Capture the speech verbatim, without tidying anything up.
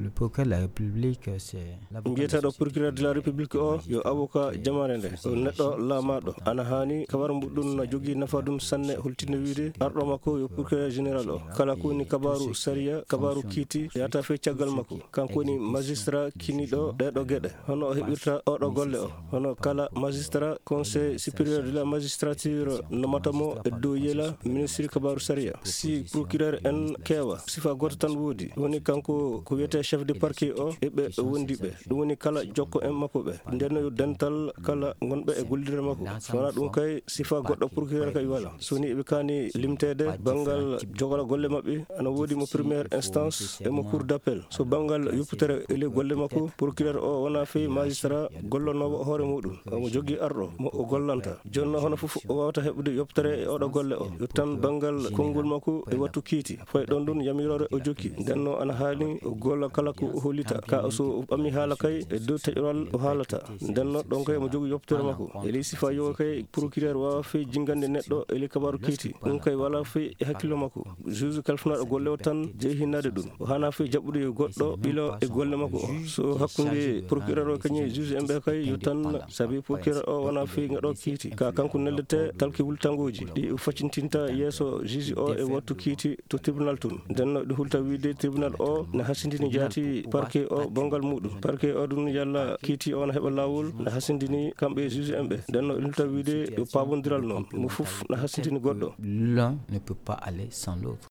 Le procureur de la République, c'est l'avocat de la société. Mbiyetaaɗo procureur de la République o yo avocat jamaare nde, o neɗɗo laamaaɗo. Ana haani kabar mbuɗɗun na jogii nafa ɗun sanne, holtinde wiide arɗo makko yo procureur général o. Kala ko woni kabaaru sariya, kabaaru kiiti, yahata fey caggal makko. Kanko woni magistrat kiniiɗo ɗee ɗoo geɗe. Hono o heɓirta oo ɗoo golle o? Hono kala magistrat Conseil supérieur de la magistrature nomata mo e dow yela ministre kabaaru sariya. Si procureur en keewa, sifa gooto tan woodi. Woni kanko ko wiyetee chef de parquet o e ɓe wondi ɓe. Ɗum woni kala jokko en makko ɓe. Nden no yo dental kala gonɓe e gollirde makko. So wonaa ɗum kay, sifa goɗɗo procureur kay wala. So woni eɓe kaani limteede banngal jogora golle maɓɓe, ana woodi mo première instance e mo cour d'appel. So banngal yopputere e ley golle makko, procureur o wonaa fey magistrat gollonoowo hoore muɗum. Omo jogii arɗo mo o gollanta. Jooni noon hono fof o waawata heɓude yopputere e oɗo golle o. Yo tan banngal konngol makko e wattu kiiti. Fayi ɗon ɗum yamiroore o jokki. Nden noon ana haani o golla kala ko o hollita. Ka o so o ɓami haala kay e dow taƴoral o haalata. Nden noon ɗon kay omo jogii yopputere makko. E ley sifa yo kay procureur waawa fey jinngande neɗɗo e ley kabaaru kiiti. Ɗum kay wala fey e hakkillo makko. Juge kalfinaaɗo golle o tan jeyi hinnaade ɗum. O haana fey jaɓɓude yo goɗɗo ɓilo e golle makko o. So hakkunde procureur o kañum e juge en ɓe kay yo tan, sabi procureur o wona fey ngaɗo kiiti. Ka kanko neldete talki wultangooji ɗi o faccintinta yeeso juge o e wattu kiiti to tribunal tun. Nden no ɗi hulta wiide tribunal o ne hasindini jaati parquet o bonngal muɗum. Parquet o ɗum yalla kiiti o na heɓa laawol ne hasindini kamɓe e juge en ɓe. Nden no ɗi hulta wiide yo paabondiral noon. Mo fof ne hasindini goɗɗo. L'un ne peut pas aller sans l'autre.